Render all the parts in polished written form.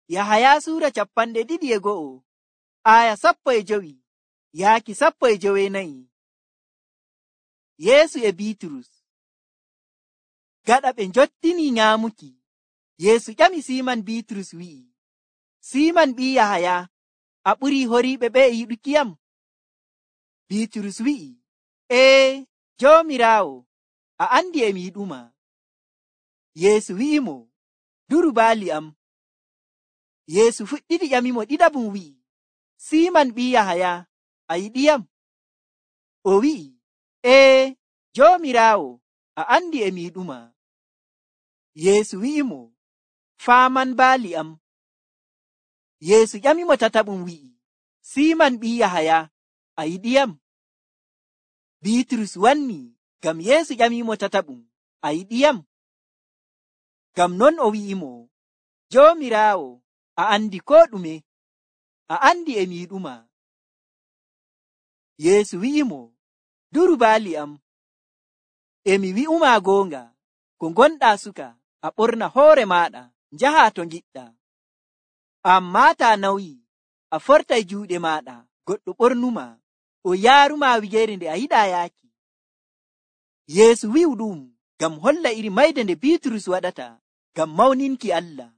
Yahaya suura 22 aya 15 yaaki 14. Yeesu e Biiturus. Gaɗa ɓe njottini nyaamuki, Yeesu ƴami Siiman Biiturus wi'i, Siiman ɓii Yahaya, a ɓurii horiiɓe ɓe e yiɗukiyam? Biiturus wi'i, Joomiraawo, a andi e mi yiɗuma. Yeesu wi'imo, duru baali am. Yeesu fuɗɗiti ƴamimo ɗiɗabum wi'i, Siiman ɓii Yahaya, a yiɗiyam? O wi'i, Joomiraawo, a andi e mi yiɗuma. Yeesu wi'imo, faaman baali am. Yeesu ƴamimo tataɓum wi'i, Siiman ɓii Yahaya, a yiɗiyam? Biiturus wanni ngam Yeesu ƴamimo tataɓum, a yiɗiyam? Ngam non o wi'imo, Joomiraawo, a andi koo ɗume, a andi e mi yiɗuma. Yeesu wi'imo, duru baali am. E mi wi'uma goonga, ko gonɗaa suka, a ɓorna hoore maaɗa, njaha to ngiɗɗaa. Ammaa taa nawyi, a fortay juuɗe maaɗa, goɗɗo ɓornuma, o yaaruma wigeere nde a yiɗaa yaaki. Yeesu wi'u ɗum ngam holla iri mayde nde Biiturus waɗata ngam mawninki Allah.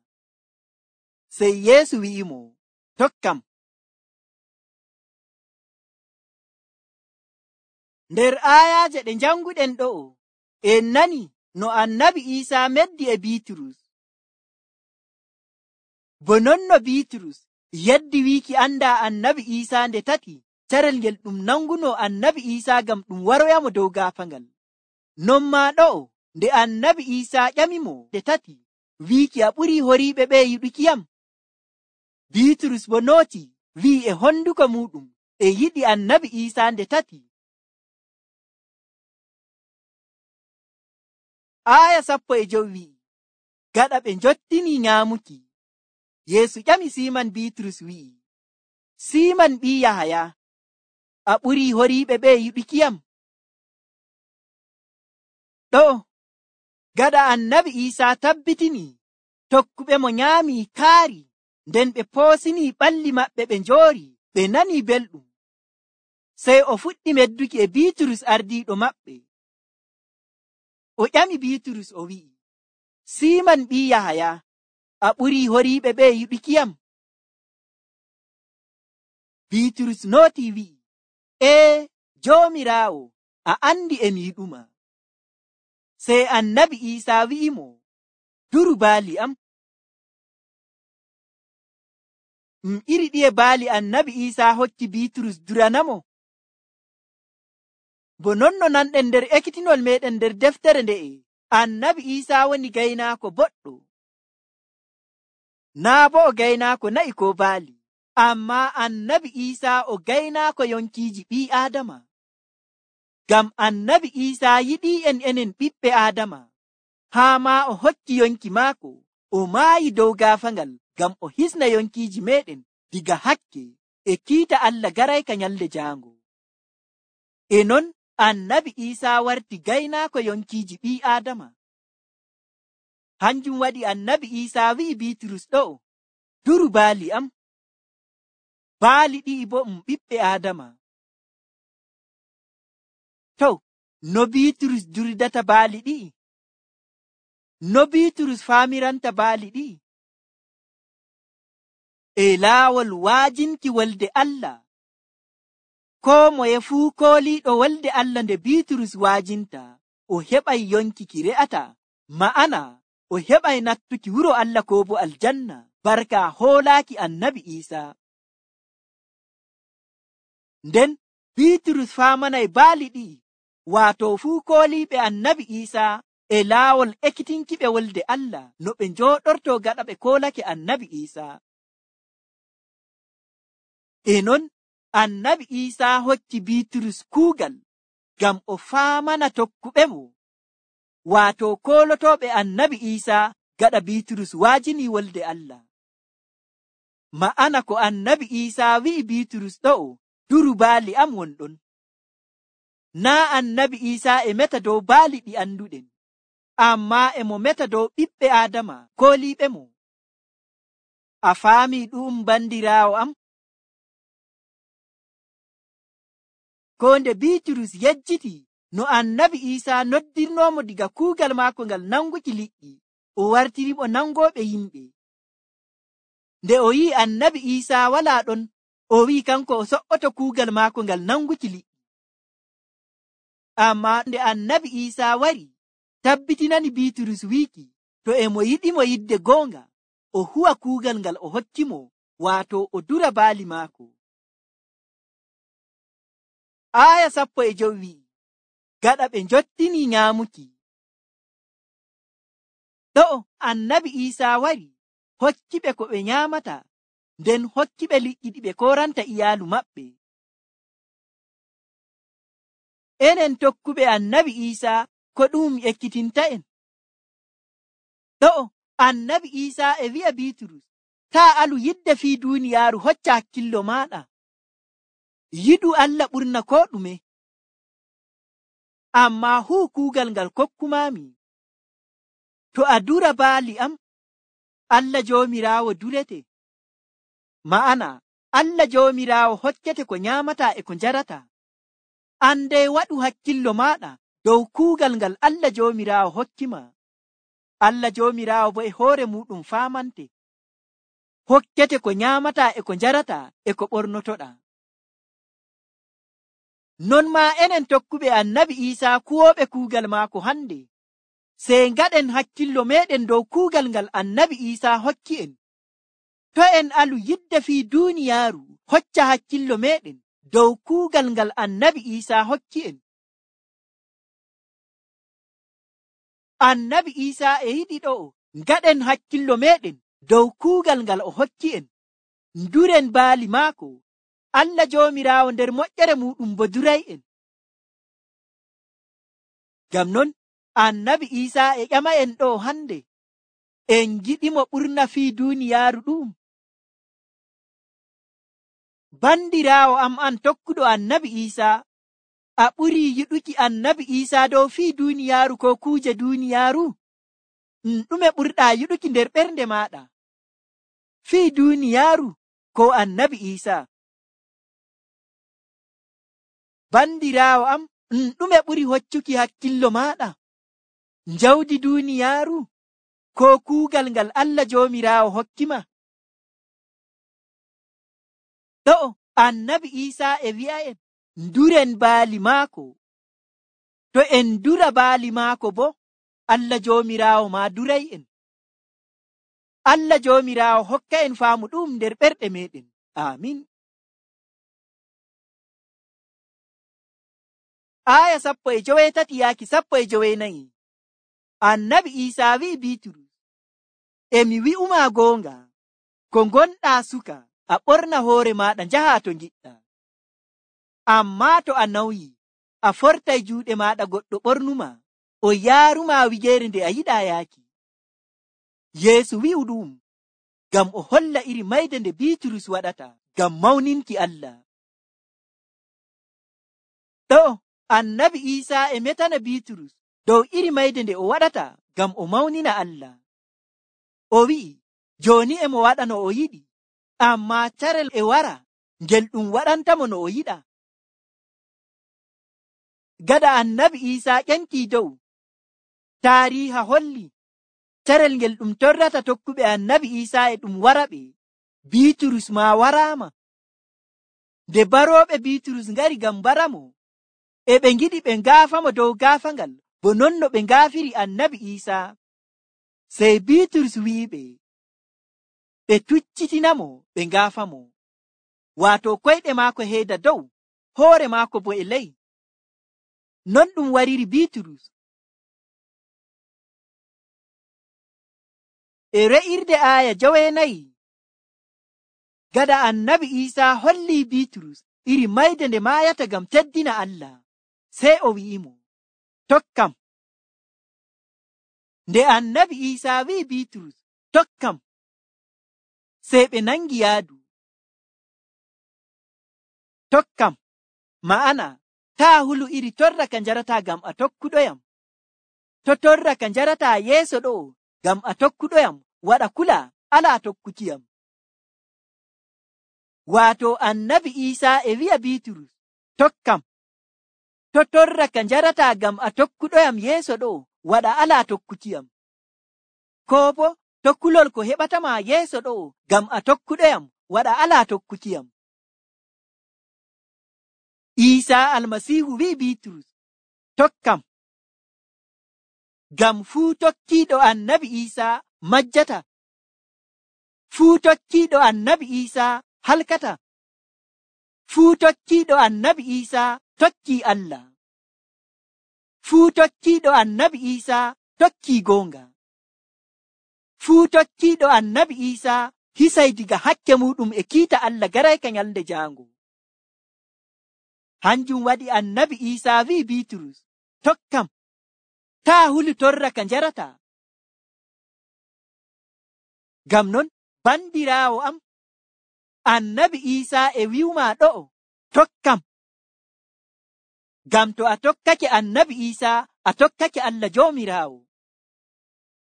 Sey Yeesu wi'imo, tokkam. Nder aayaaje ɗe njanguɗen ɗo'o, en nani no Annabi Iisaa meddi e Biiturus. Bo non no Biiturus yeddi wiiki andaa Annabi Iisaa nde tati, carel ngel ɗum nanguno Annabi Iisaa ngam ɗum waroyamo dow gaafangal. Non maa ɗo'o, nde Annabi Iisaa ƴamimo nde tati, wiiki a ɓurii horiiɓe ɓe yiɗukiyam? Biiturus bo nooti wi'i e honduko muɗum e yiɗi Annabi Iisaa nde tati. Aya 15 wi'i, gaɗa ɓe njottini nyaamuki, Yeesu ƴami Siiman Biiturus wi'i, Siiman ɓii Yahaya, a ɓurii horiiɓe ɓe yiɗukiyam? Ɗo, gaɗa Annabi Iisaa tabbitini tokkuɓe mo nyaamii kaari, nden ɓe poosinii ɓalli maɓɓe ɓe njoori, ɓe nanii belɗum. Sey o fuɗɗi medduki e Biiturus ardiiɗo maɓɓe. O ƴami Biiturus o wi'i, Siiman ɓii Yahaya, a ɓurii horiiɓe ɓe yiɗukiyam? Biiturus nootii wi'i, Joomiraawo, a andi e mi yiɗuma. Sey Annabi Iisaa wi'imo, duru baali am. Iri ɗiye baali Annabi Iisaa hokki Biiturus duranamo? Bo non no nanɗen nder ekkitinol meɗen nder deftere nde'e, Annabi Iisaa woni gaynaako boɗɗo. Naa bo o gaynaako na'i ko baali, ammaa Annabi Iisaa o gaynaako yonkiiji ɓii Aadama. Ngam Annabi Iisaa yiɗii enen ɓiɓɓe Aadama, haa maa o hokki yonki maako, o maayi dow gaafangal ngam o hisna yonkiiji meɗen diga hakke e kiita Allah garayka nyalde jaango. E non Annabi Iisaa warti gaynaako yonkiiji ɓii Aadama. Hanjum waɗi Annabi Iisaa wi'i Biiturus ɗo'o, duru baali am. Baali ɗi'i bo ɓiɓɓe Aadama. To, no Biiturus duridata baali ɗi'i? No Biiturus faamiranta baali ɗi'i? E laawol waajinki wolde Allah. Koo moye fuu kooliiɗo wolde Allah nde Biiturus waajinta, o heɓay yonki ki re'ata, ma'ana o heɓay nattuki wuro Allah koo bo aljanna, barka hoolaaki Annabi Iisaa. Nden Biiturus faamanay baali ɗi'i, waato fuu kooliiɓe Annabi Iisaa e laawol ekkitinkiɓe wolde Allah no ɓe njooɗorto gaɗa ɓe koolake Annabi Iisaa. E non Annabi Iisaa hokki Biiturus kuugal ngam o faamana tokkuɓe mo, waato koolotooɓe Annabi Iisaa gaɗa Biiturus waajini wolde Allah. Ma'ana ko Annabi Iisaa wi'i Biiturus ɗo'o, duru baali am wonɗon. Naa Annabi Iisaa e meta dow baali ɗi anduɗen, ammaa e mo meta dow ɓiɓɓe Aadama kooliiɓe mo. A faami ɗum bandiraawo am? Ko nde Biiturus yejjiti no Annabi Iisaa noddirnoomo diga kuugal maako ngal nanguki liƴƴi, o wartirimo nangooɓe yimɓe. Nde o yi'i Annabi Iisaa walaa ɗon, o wi'i kanko o so'oto kuugal maako ngal nanguki liƴƴi. Ammaa nde Annabi Iisaa wari, tabbitinani Biiturus wiiki to e mo yiɗimo yidde goonga, o huwa kuugal ngal o hokkimo, waato o dura baali maako. Aya 15 wi'i, gaɗa ɓe njottini nyaamuki. Ɗo'o Annabi Iisaa wari, hokkiɓe ko ɓe nyaamata, nden hokkiɓe liƴƴi ɗi ɓe koranta iyaalu maɓɓe. Enen tokkuɓe Annabi Iisaa, ko ɗum ekkitinta'en? Ɗo'o Annabi Iisaa e wi'a Biiturus, taa alu yidde fii duuniyaaru, hocca hakkillo maaɗa. Yiɗu Allah ɓurna ko ɗume. Ammaa huu kuugal ngal kokkumaami. To a dura baali am, Allah Joomiraawo durete. Ma'ana, Allah Joomiraawo hokkete ko nyaamata e ko njarata. Andey waɗu hakkillo maaɗa dow kuugal ngal Allah Joomiraawo hokkima. Allah Joomiraawo bo e hoore muɗum faamante. Hokkete ko nyaamata e ko njarata e ko ɓornotoɗa. Non maa enen tokkuɓe Annabi Iisaa kuwooɓe kuugal maako hande, sey ngaɗen hakkillo meɗen dow kuugal ngal Annabi Iisaa hokki en. To en alu yidde fii duuniyaaru, hocca hakkillo meɗen dow kuugal ngal Annabi Iisaa hokki en. Annabi Iisaa e yiɗi ɗo'o ngaɗen hakkillo meɗen dow kuugal ngal o hokki en. Nduren baali maako. Allah Joomiraawo nder moƴƴere muɗum bo duray en. Ngam non Annabi Iisaa e ƴama en ɗo hande, en giɗimo ɓurna fii duuniyaaru ɗum. Bandiraawo am an tokkuɗo Annabi Iisaa, a ɓurii yiɗuki Annabi Iisaa dow fii duuniyaaru ko kuuje duuniyaaru? Ɗume ɓurɗaa yiɗuki nder ɓernde maaɗa, fii duuniyaaru ko Annabi Iisaa? Bandiraawo am, ɗume ɓuri hoccuki hakkillo maaɗa, jawdi duuniyaaru ko kuugal ngal Allah Joomiraawo hokkima? Ɗo'o Annabi Iisaa e wi'a en nduren baali maako. To en dura baali maako bo, Allah Joomiraawo maa duray en. Allah Joomiraawo hokka en faamu ɗum nder ɓerɗe meɗen. Amin. Aya 13 yaaki 14. Annabi Iisaa wi'i Biiturus, emi wi'uma goonga, ko gonɗaa suka, a ɓorna hoore maaɗa njaha to ngiɗɗa. Ammaa to a nawyi, a fortay juuɗe maaɗa goɗɗo ɓornuma, o yaaruma wigeere nde a yiɗaa yaaki. Yeesu wi'u ɗum ngam o holla iri mayde nde Biiturus waɗata ngam mawninki Allah. Ɗo'o Annabi Iisaa e metana Biiturus dow iri mayde nde o waɗata ngam o mawnina Allah. O wi'i, jooni e mo waɗa no o yiɗi, ammaa carel e wara ngel ɗum waɗantamo no o yiɗa. Gada Annabi Iisaa ƴenkii dow, taariiha holli carel ngel ɗum torrata tokkuɓe Annabi Iisaa e ɗum wara ɓe. Biiturus maa waraama. Nde barooɓe Biiturus ngari ngam baramo, e ɓe ngiɗi ɓe ngaafamo dow gaafangal bo non no ɓe ngaafiri Annabi Iisaa. Sey Biiturus wi'iɓe, ɓe tuccitinamo ɓe ngaafamo, waato koyɗe maako heeda dow, hoore maako bo e ley. Non ɗum wariri Biiturus. E re'irde aya 9, gada Annabi Iisaa holli Biiturus iri mayde nde maayata ngam teddina Allah, sey o wi'imo, tokkam. Nde Annabi Iisaa wi'i Biiturus, tokkam, sey ɓe nangi yaadu. Tokkam ma'ana taa hulu iri torra ka njarata ngam a tokkuɗoyam. To torra ka njarata yeeso ɗo ngam a tokkuɗoyam, waɗa kula alaa tokkukiyam. waato annabi Iisaa e wi'a Biiturus, tokkam. To torra ka njarataa ngam a tokkuɗoyam yeeso ɗo, waɗa alaa tokkukiyam. Koo bo to kulol ko heɓatama yeeso ɗo ngam a tokkuɗoyam, waɗa alaa tokkukiyam. Iisaa Almasiihu wi'i Biiturus, tokkam. Ngam fuu tokkiiɗo annabi Iisaa majjata. Fuu tokkiiɗo annabi Iisaa halkata. Fuu tokkiiɗo annabi Iisaa tokkii Allah. Fuu tokkiiɗo annabi Iisaa tokkii goonga. Fuu tokkiiɗo annabi Iisaa hisay diga hakke muɗum e kiita Allah garayka nyalde jaango. Hanjum waɗi annabi Iisaa wi'i Biiturus, tokkam. Taa hulu torra ka njarataa. Ngam non, bandiraawo am, annabi Iisaa e wi'umaa ɗo'o, tokkam. Ngam to a tokkake annabi Iisaa, a tokkake Allah Joomiraawo.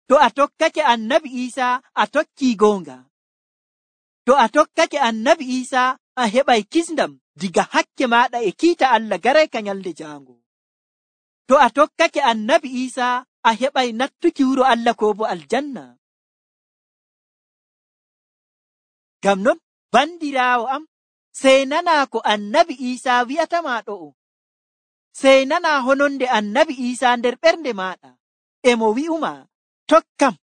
To a tokkake annabi Iisaa, a tokkii goonga. To a tokkake annabi Iisaa, a heɓay kisndam diga hakke maaɗa e kiita Allah garayka nyalde jaango. To a tokkake annabi Iisaa, a heɓay nattuki wuro Allah ko bo aljanna. Ngam non, bandiraawo am, sey nanaa ko annabi Iisaa wi'atamaa ɗo'o. Sey nanaa hononde annabi Iisaa nder ɓernde maaɗa, e mo wi'umaa, tokkam.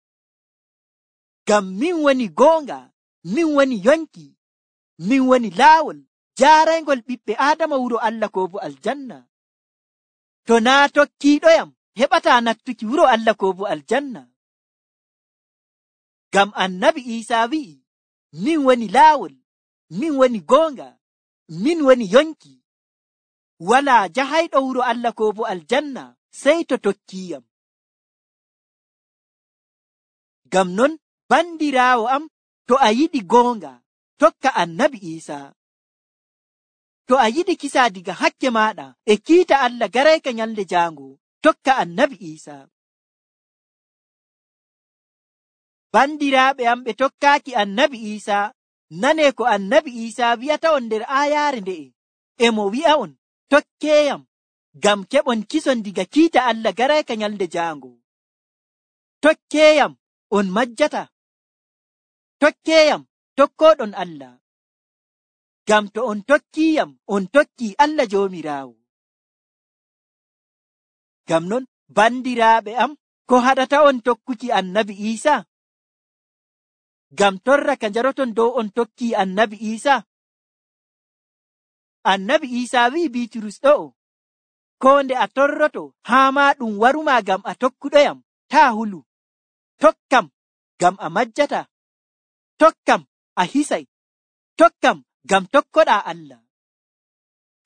Ngam min woni goonga, min woni yonki, min woni laawol jaaraygol ɓiɓɓe Aadama wuro Allah ko bo aljanna. To naa tokkiiɗoyam, heɓataa nattuki wuro Allah ko bo aljanna. Ngam annabi Iisaa wi'i, min woni laawol, min woni goonga, min woni yonki. Walaa jahayɗo wuro Allah ko bo aljanna sey to tokkiiyam. Ngam non, bandiraawo am, to a yiɗi goonga, tokka annabi Iisaa. To a yiɗi kisaa diga hakke maaɗa e kiita Allah garayka nyalde jaango, tokka annabi Iisaa. Bandiraaɓe am ɓe tokkaaki annabi Iisaa, nanee ko annabi Iisaa wi'ata on nder aayaare nde'e. E mo wi'a on, tokkeeyam, ngam keɓon kison diga kiita Allah garayka nyalde jaango. Tokkeeyam, on majjata. Tokkeeyam, tokkooɗon Allah. Ngam to on tokkiiyam, on tokkii Allah Joomiraawo. Ngam non, bandiraaɓe am, ko haɗata on tokkuki annabi Iisaa? Ngam torra ka njaroton dow on tokkii annabi Iisaa? Annabi Iisaa wi'i Biiturus ɗo'o, koo nde a torroto haa maa ɗum warumaa ngam a tokkuɗoyam, taa hulu. Tokkam, ngam a majjata. Tokkam, a hisay. Tokkam, ngam tokkoɗaa Allah.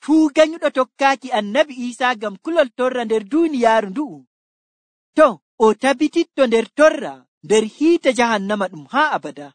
Fuu ganyuɗo tokkaaki annabi Iisaa ngam kulol torra nder duuniyaaru ndu'u, to o tabititto nder torra nder hiite jahannama ɗum haa abada.